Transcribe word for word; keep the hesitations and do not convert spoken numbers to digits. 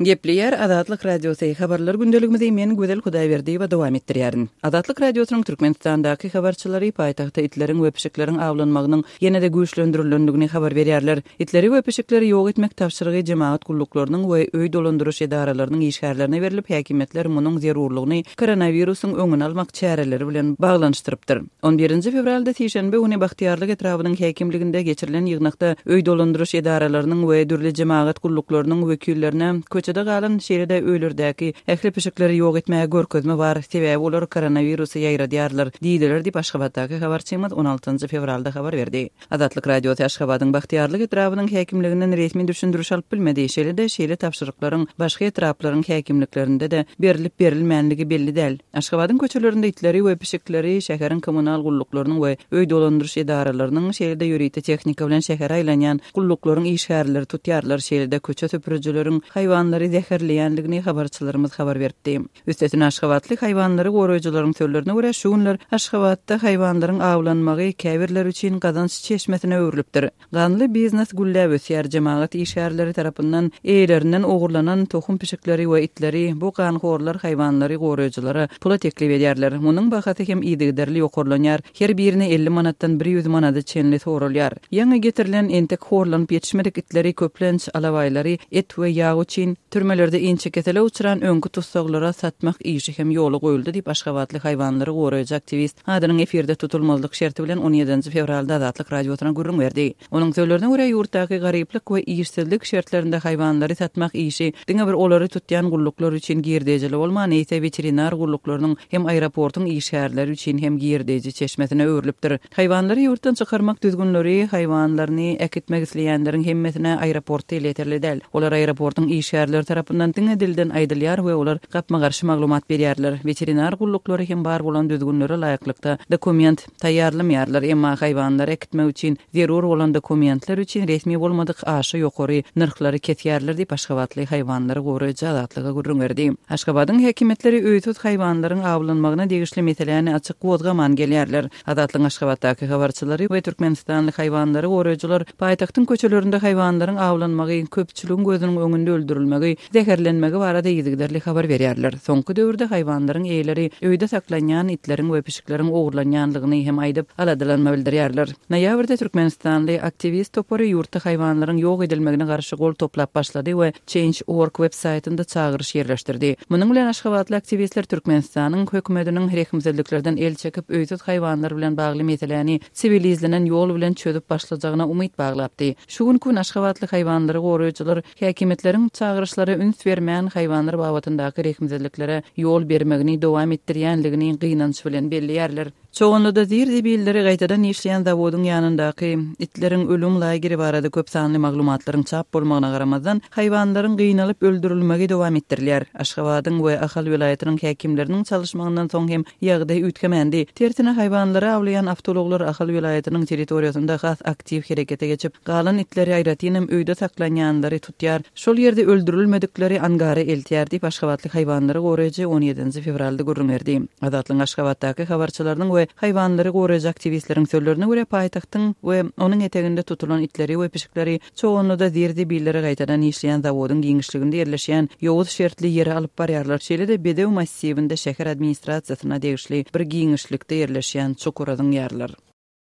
Gepleýär Azatlyk Radiosy habarlar gündeligimizi men Gözel Hudaýberdiýewa dowam etdirýärin. Azatlyk Radiosynyň Türkmenistandaky habarçylary paýtagtda itleriň we pişikleriň awlanmagynyň ýene-de güýçlendirilendigini habar berýärler. Itleri we pişikleri ýok etmek tabşyrygy jemagat gulluklarynyň we öý dolandyryş edaralarynyň işgärlerine berilip, häkimiýetler munuň zerurlygyny koronawirusyň öňüni almak çäreleri bilen baglanyşdyrypdyr. On birinji fewralda sişenbe güni Bagtyýarlyk etrabynyň häkimliginde geçirilen ýygnakda öý dolandyryş edaralarynyň we dürli jemagat gulluklarynyň wekillerine köçede galan şeýle-de öýlerdäki ähli pişikleri ýok etmäge görkezme bar, sebäbi olar koronawirusy ýaýradýarlar diýdiler diýip Aşgabatdaky habarçymyz on altynjy fewralda habar berdi. Azatlyk Radiosy Aşgabadyň Bagtyýarlyk etrabynyň häkimliginden resmi düşündiriş alyp bilmedi. Şeýle-de şeýle tabşyryklaryň başga etraplaryň häkimliklerinde-de berilip berilmänligi belli däl. Aşgabadyň köçelerinde itleri we pişikleri şäheriň kommunal gulluklarynyň we öý dolandyryş edaralarynyň şeýle-de ýörite tehnika bilen şähere aýlanýan gulluklaryň işgärleri tutýarlar. Şeýle-de köçe süpürijileriň haýwanlary zäherleýänligini habarçylarymyz habar berdi. Üstesine Aşgabatly haýwanlary goraýjylaryň sözlerine görä şu günler Aşgabatda haýwanlaryň awlanmagy käbirler üçin gazanç çeşmesine öwrülipdir. Ganly biznes gülläp ösýär. Jemagat işgärleri tarapyndan eýelerinden ogurlanan tohum pişikleri we itleri bu ganhorlar haýwanlary goraýjylara pula teklip edýärler. Munuň bahasy hem yzygiderli ýokarlanýar. Her birine elli manatdan bir ýüz manada çenli sorulýar. Ýaňy getirilen entek horlanyp ýetişmedik itleri köplenç alabaýlary et we ýag üçin türmelerde inçe kesele uçran öňki tussaglara satmak işi hem ýola goýuldy diýip Aşgabatly haýwanlary goraýjy aktiwist adynyň efirde tutulmazlyk şerti bilen on ýedinji fewralda Azatlyk Radiosyna gürrüň berdi. Onuň sözlerine görä ýurtdaky garyplyk we işsizlik şertlerinde haýwanlary satmak işi diňe bir olary tutýan gulluklar üçin girdejili bolman, eýse weterinar gulluklarynyň hem aeroportuň işgärleri üçin hem girdeji çeşmesine öwrülipdir. Haýwanlary ýurtdan çykarmak düzgünleri haýwanlaryny äkitmek isleýänleriň hemmesine aeroportda elýeterli däl. Olar aeroportuň işgärleri tarapyndan diňe dilden aýdylýar we olar gapma-garşy maglumat berýärler. Weterinar gulluklary hem bar bolan düzgünlere laýyklykda dokument taýýarlamaýarlar, emma haýwanlary äkitmek üçin zerur bolan dokumentler üçin resmi bolmadyk aşa ýokary nyrhlary kesýärler diýip Aşgabatly haýwanlary goraýjy Azatlyga gürrüň berdi. Aşgabadyň häkimiýetleri öýsüz haýwanlaryň awlanmagyna degişli meseläni açyk gozgaman gelýärler. Azatlygyň Aşgabatdaky habarçylary we Türkmenistanly haýwanlary goraýjylar paýtagtyň köçelerinde haýwanlaryň awlanmagy, köpçüligiň gözüniň öňünde öldürilmegi, zäherlenmegi barada yzygiderli habar berýärler. Soňky döwürde haýwanlaryň eýeleri öýde saklanýan itleriň we pişikleriň ogurlanýanlygyny hem aýdyp aladalanma bildirýärler. Noýabrda Türkmenistanly aktiwist topary ýurtda haýwanlaryň ýok edilmegine garşy gol toplap başlady we Change dot org web saýtynda çagyryş ýerleşdirdi. Munuň bilen Aşgabatly aktiwistler Türkmenistanyň hökümetiniň rehimsizliklerden el çekip öýsüz haýwanlar bilen bagly meseläni siwilizlenen ýol bilen çözüp başlajagyna umyt baglapdy. Şu günkü gün Aşgabatly haýwanlary goraýjylar häkimiýetleriň çagyryşlara üns bermän haýwanlar babatyndaky rehimsizliklere ýol bermegini dowam etdirýänligini gynanç bilen belleýärler. Çoganlyda zir-zibilleri gaýtadan işleýän zawodyň ýanyndaky itleriň ölüm lageri barada köp sanly maglumatlaryň çap bolmagyna garamazdan haýwanlaryň gynalyp öldürilmegi dowam etdirilýär. Aşgabadyň we Ahal welaýatynyň häkimleriniň çalışmagyndan soň hem ýagdaý üýtgemändi. Tersine haýwanlary awlaýan awtoulaglar Ahal welaýatynyň territoriýasynda has aktiw herekete geçip, galan itleri aýratynam öýde saklanýanlary tutýar. Şol ýerde öldürilmedikleri angara eltýär diýip Aşgabatly haýwanlary goraýjy on ýedinji fewralda gürrüň berdi. Azatlygyň Aşgabatdaky habarçylarynyň we haýwanlary goraýjy aktiwistleriň sözlerine görä paýtagtyň we onuň eteginde tutulan itleri we pişikleri çoganlyda zir-zibilleri gaýtadan işleýän zawodyň giňişliginde ýerleşýän ýowuz şertli ýere alyp barýarlar. Şeýle-de Bedew massiwinde şäher administrasiýasyna degişli bir giňişlikde ýerleşýän çukura zyňýarlar.